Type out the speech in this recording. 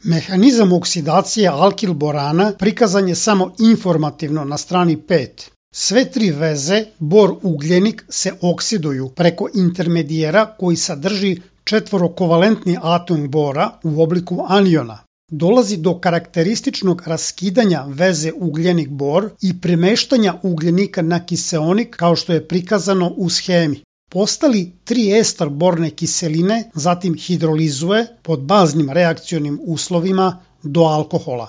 Mehanizam oksidacije alkil borana prikazan je samo informativno na strani 5. Sve tri veze, bor-ugljenik, se oksiduju preko intermedijera koji sadrži četvorokovalentni atom bora u obliku aniona. Dolazi do karakterističnog raskidanja veze ugljenik-bor i premeštanja ugljenika na kiseonik kao što je prikazano u schemi. Postali 3-ester borne kiseline zatim hidrolizuje pod baznim reakcionim uslovima do alkohola.